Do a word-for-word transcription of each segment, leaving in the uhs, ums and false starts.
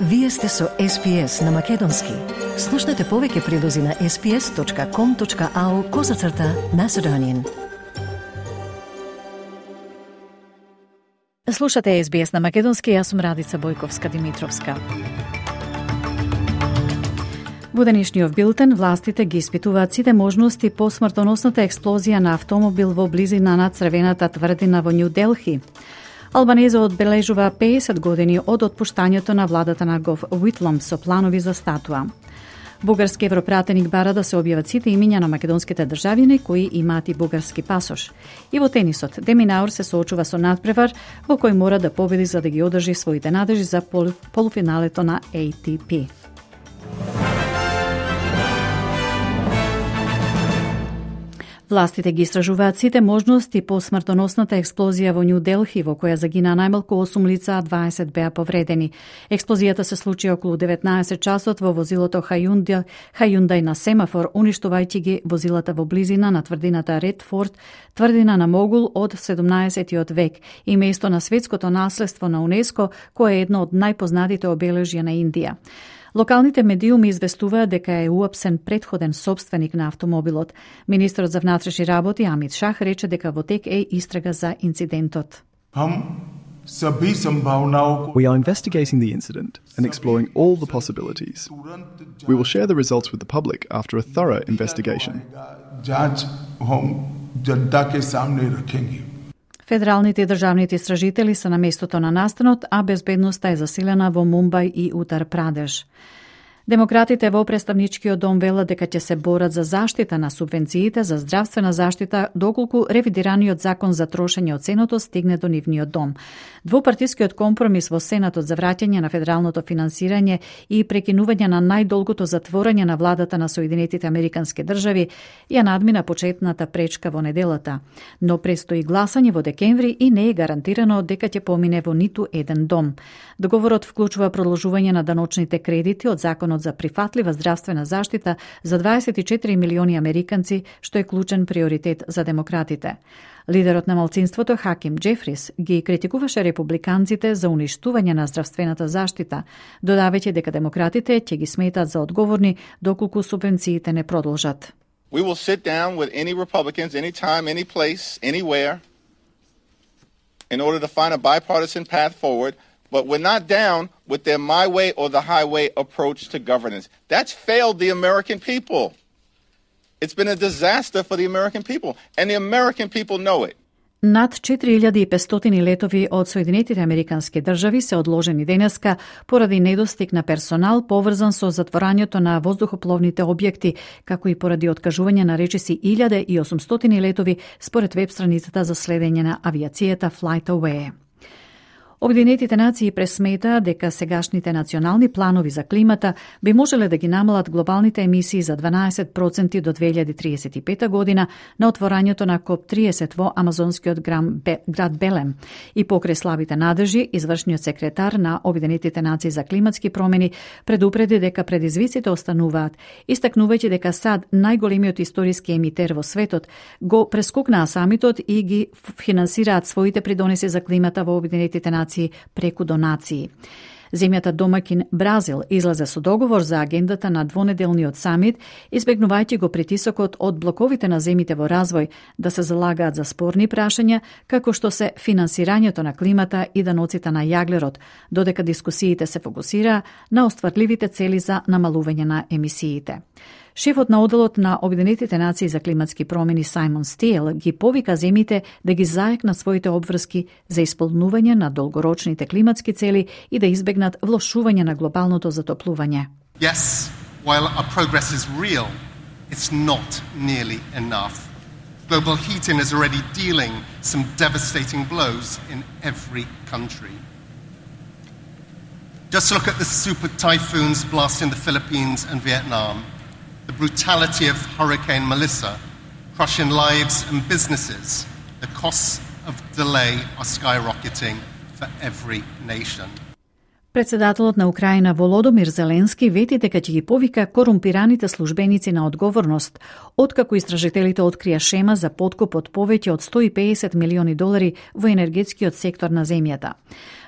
Вие сте со Ес Пи Ес на Македонски. Слушнете повеќе прилози на ес пи ес точка ком точка ау козацрта Macedonian. Слушате Ес Би Ес на Македонски, јас сум Радица Бојковска-Димитровска. Во денешниот билтен, властите ги испитуваат сите можности по смртоносната експлозија на автомобил во близина на Црвената тврдина во Њу Делхи. Албанеза одбележува пеесет години од отпуштањето на владата на Гов Уитлом со планови за статуа. Бугарски европратеник бара да се објават сите имиња на македонските државјани кои имаат и бугарски пасош. И во тенисот, Деминаур се соочува со надпревар во кој мора да победи за да ги одржи своите надежи за пол, полуфиналето на Ей Ти Пи. Властите ги истражуваат сите можности по смртоносната експлозија во Њу Делхи, во која загина најмалку осум лица, а дваесет беа повредени. Експлозијата се случи околу деветнаесет часот во возилото Хајундај, Хајундај на семафор, уништувајќи ги возилата во близина на тврдината Редфорд, тврдина на Могул од седумнаесеттиот век и место на светското наследство на УНЕСКО, кое е едно од најпознатите обележја на Индија. Локалните медиуми известуваат дека е уапсен претходен собственик на автомобилот. Министерот за внатрешни работи Амит Шах рече дека во тек е истрага за инцидентот. We are investigating the incident and exploring all the possibilities. We will share the results with the public after a thorough investigation. Федералните и државните истражители се на местото на настанот, а безбедноста е засилена во Мумбај и Утар Прадеш. Демократите во представничкиот дом велат дека ќе се борат за заштита на субвенциите за здравствена заштита доколку ревидираниот закон за трошење од Сенатот стигне до нивниот дом. Двопартискиот компромис во Сенатот за враќање на федералното финансирање и прекинување на најдолгото затворање на владата на Соединетите Американски држави ја надмина почетната пречка во неделата. Но престои гласање во декември и не е гарантирано дека ќе помине во ниту еден дом. Договорот вклучува продолжување на даночните кредити од законот за прифатлива здравствена заштита за дваесет и четири милиони американци, што е клучен приоритет за демократите. Лидерот на малцинството Хаким Џефрис ги критикуваше републиканците за уништување на здравствената заштита, додавајќи дека демократите ќе ги сметат за одговорни доколку субвенциите не продолжат. We will sit down with any Republicans anytime, any place, anywhere in order to find a bipartisan path forward. But we're not down with their my way or the highway approach to governance. That's failed the American people. It's been a disaster for the American people, and the American people know it. Над четири илјади и петстотини летови од Соединетите Американски држави се одложени денеска поради недостиг на персонал поврзан со затворањето на воздухопловните објекти, како и поради откажување на речиси илјада и осумстотини летови според веб страницата за следење на авиацијата FlightAware. Обединетите нации пресметаа дека сегашните национални планови за климата би можеле да ги намалат глобалните емисии за дванаесет проценти до две илјади триесет и пета година на отворањето на Коп триесет во амазонскиот град Белем. И покрај слабите надежи, извршниот секретар на Обединетите нации за климатски промени предупреди дека предизвиците остануваат, истакнувајќи дека САД, најголемиот историски емитер во светот, го прескокнаа самитот и ги финансираат своите придонеси за климата во Обединетите нации преку донации. Земјата домакин Бразил излезе со договор за агендата на двонеделниот самит, избегнувајќи го притисокот од блоковите на земите во развој да се залагаат за спорни прашања, како што се финансирањето на климата и даноците на јаглерод, додека дискусиите се фокусира на остварливите цели за намалување на емисиите. Шефот на оделот на Обединетите нации за климатски промени Сајмон Стиел ги повика земите да ги заекнат своите обврски за исполнување на долгорочните климатски цели и да избегнат влошување на глобалното затоплување. Yes, while our progress is real, it's not nearly enough. Global heating is already dealing some devastating blows in every country. Just look at the super typhoons blasting the Philippines and Vietnam. The brutality of Hurricane Melissa, crushing lives and businesses. The costs of delay are skyrocketing for every nation. Председателот на Украина Володомир Зеленски вети дека ќе ги повика корумпираните службеници на одговорност, откако истражителите открија шема за подкуп од повеќе од сто и педесет милиони долари во енергетскиот сектор на земјата.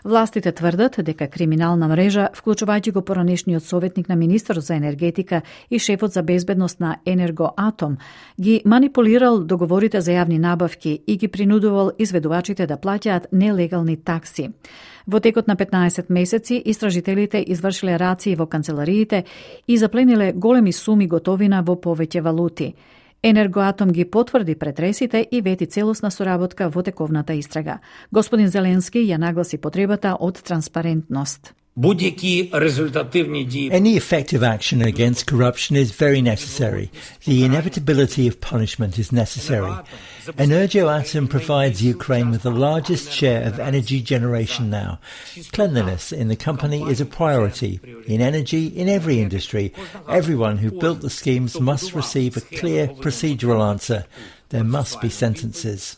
Властите тврдат дека криминална мрежа, вклучувајќи го поранешниот советник на министерот за енергетика и шефот за безбедност на Енергоатом, ги манипулирал договорите за јавни набавки и ги принудувал изведувачите да плаќаат нелегални такси. Во текот на петнаесет месеци, истражителите извршиле рации во канцелариите и заплениле големи суми готовина во повеќе валути. Енергоатом ги потврди претресите и вети целосна соработка во тековната истрага. Господин Зеленски ја нагласи потребата од транспарентност. Any effective action against corruption is very necessary. The inevitability of punishment is necessary. Energoatom provides Ukraine with the largest share of energy generation now. Cleanliness in the company is a priority. In energy, in every industry, everyone who built the schemes must receive a clear procedural answer. There must be sentences.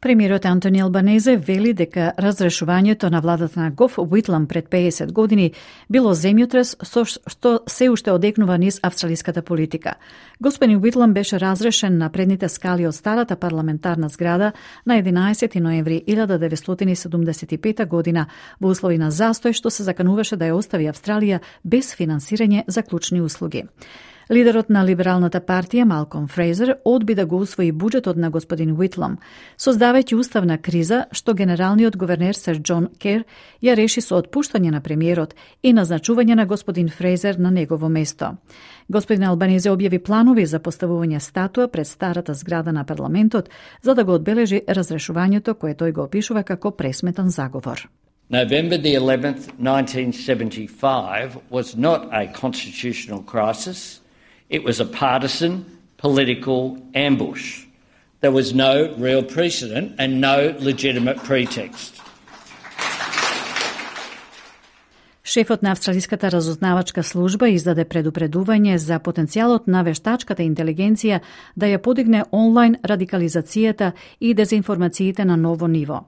Премиерот Антони Албанезе вели дека разрешувањето на владата на Гоф Уитлам пред педесет години било земјотрес со што се уште одекнува низ австралиската политика. Господин Уитлам беше разрешен на предните скали од старата парламентарна зграда на единаесети ноември илјада деветстотини седумдесет и пета година во услови на застој што се закануваше да ја остави Австралија без финансирање за клучни услуги. Лидерот на либералната партија Малком Фрейзер одби да го усвои буџетот на господин Уитлам, создавајќи уставна криза што генералниот говернер Сер Џон Кер ја реши со отпуштање на премиерот и назначување на господин Фрейзер на негово место. Господин Албанезе објави планови за поставување статуа пред старата зграда на парламентот за да го одбележи разрешувањето кое тој го опишува како пресметан заговор. November the eleventh, nineteen seventy-five was not a constitutional crisis. It was a partisan political ambush. There was no real precedent and no legitimate pretext. Шефот на Австралиската разузнавачка служба издаде предупредување за потенцијалот на вештачката интелигенција да ја подигне онлайн радикализацијата и дезинформациите на ново ниво.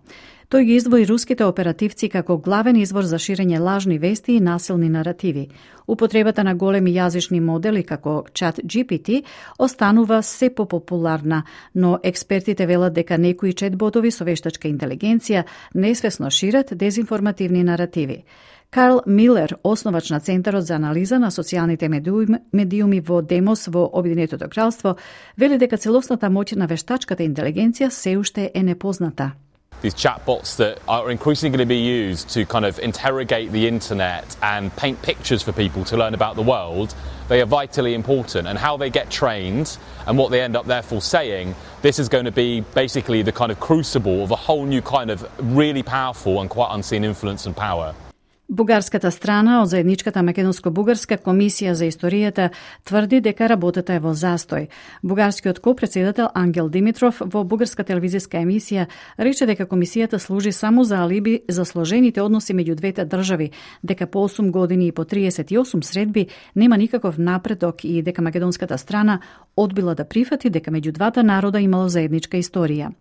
Тој ги издвои руските оперативци како главен извор за ширење лажни вести и насилни наративи. Употребата на големи јазични модели како Чат Джи Пи Ти останува се попопуларна, но експертите велат дека некои четботови со вештачка интелигенција несвесно шират дезинформативни наративи. Карл Милер, основач на Центарот за анализа на социјалните медиуми, медиуми во Демос во Обединетото кралство, вели дека целосната моќ на вештачката интелигенција се уште е непозната. These chatbots that are increasingly going to be used to kind of interrogate the internet and paint pictures for people to learn about the world, they are vitally important. And how they get trained and what they end up therefore saying, this is going to be basically the kind of crucible of a whole new kind of really powerful and quite unseen influence and power. Бугарската страна од заедничката Македонско-бугарска комисија за историјата тврди дека работата е во застој. Бугарскиот ко-председател Ангел Димитров во бугарска телевизиска емисија рече дека комисијата служи само за алиби за сложените односи меѓу двете држави, дека по осум години и по триесет и осум средби нема никаков напредок и дека македонската страна одбила да прифати дека меѓу двата народа имало заедничка историја.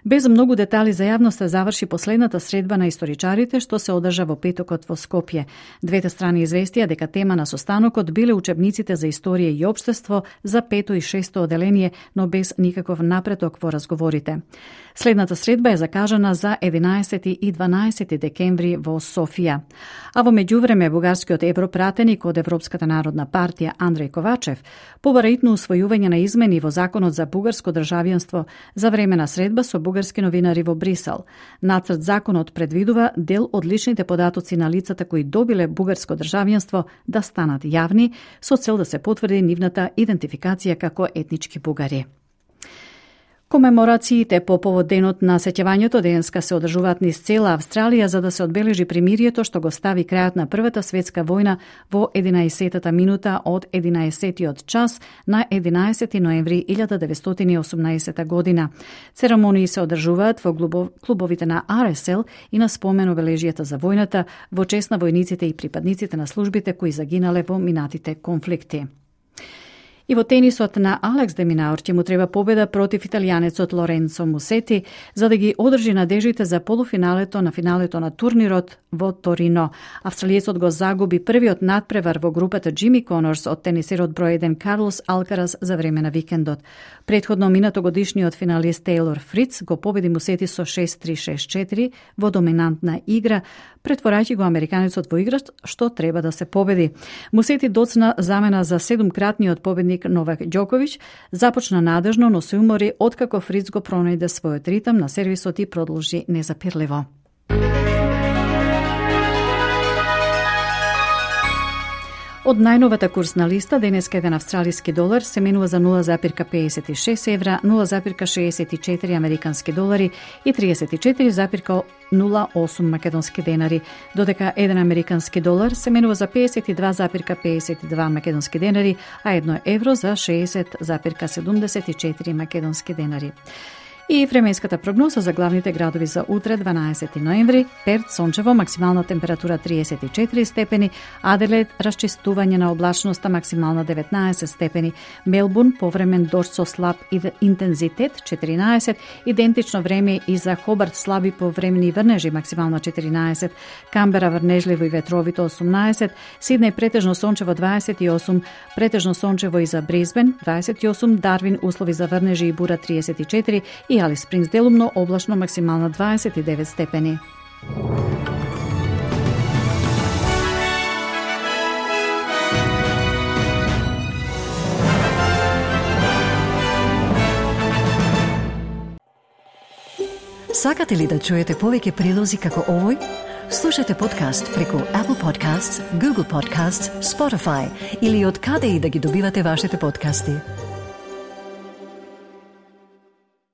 Без многу детали за јавноста заврши последната средба на историчарите што се одржа во петокот во Скопје. Двете страни известија дека тема на состанокот биле учебниците за историја и општество за пето и шесто оделение, но без никаков напредок во разговорите. Следната средба е закажана за единаесети и дванаесети декември во Софија. А во меѓувреме бугарскиот европратеник од Европската народна партија Андреј Ковачев побара итно усвојување на измени во законот за бугарско државјанство за време на средба со бугарски новинари во Брисел. Нацрт законот предвидува дел од личните податоци на лицата кои добиле бугарско државјанство да станат јавни со цел да се потврди нивната идентификација како етнички бугари. Комеморациите по повод денот на сеќавањето денеска се одржуваат низ цела Австралија за да се одбележи примирието што го стави крајот на Првата светска војна во единаесетата минута од единаесетиот час на единаесети ноември илјада деветстотини и осумнаесета година. Церемонии се одржуваат во клубовите на Ар Ес Ел и на спомен обележијата за војната во чест на војниците и припадниците на службите кои загинале во минатите конфликти. И во тенисот на Алекс де Минаур ќе му треба победа против италијанецот Лоренцо Мусети за да ги одржи надежите за полуфиналето на финалето на турнирот во Торино. Австралиецот го загуби првиот надпревар во групата Джими Конорс од тенисерот број еден Карлос Алкарас за време на викендот. Предходно минато годишниот финалист Тейлор Фриц го победи Мусети со шест три шест четири во доминантна игра, претворајќи го американецот во играч што треба да се победи. Мусети доцна замена за седумкратниот победник Новак Ѓоковиќ, започна надежно, но се умори откако Фриц го пронајде својот ритм на сервисот и продолжи незапирливо. Од најновата курсна листа, денеска еден австралиски долар се менува за нула запирка педесет и шест евра, нула запирка шеесет и четири американски долари и триесет и четири запирка нула осум македонски денари, додека еден американски долар се менува за педесет и два запирка педесет и два македонски денари, а едно евро за шеесет запирка седумдесет и четири македонски денари. И временската прогноза за главните градови за утре, дванаесети ноември: Перт сончево, максимална температура триесет и четири степени, Аделаид расчистување на облачноста, максимална деветнаесет степени, Мелбурн повремен дожд со слаб интензитет четиринаесет, идентично време и за Хобарт, слаби повремени врнежи, максимална четиринаесет, Камбера врнежливо и ветровито осумнаесет, Сиднеј претежно сончево дваесет и осум, претежно сончево и за Брисбен дваесет и осум, Дарвин услови за врнежи и бура триесет и четири и Алис Спрингс делумно облачно, максимална дваесет и девет степени. Сакате ли да чуете повеќе прилози како овој? Слушате подкаст преку Apple Podcasts, Google Podcasts, Spotify или од каде и да ги добивате вашите подкасти.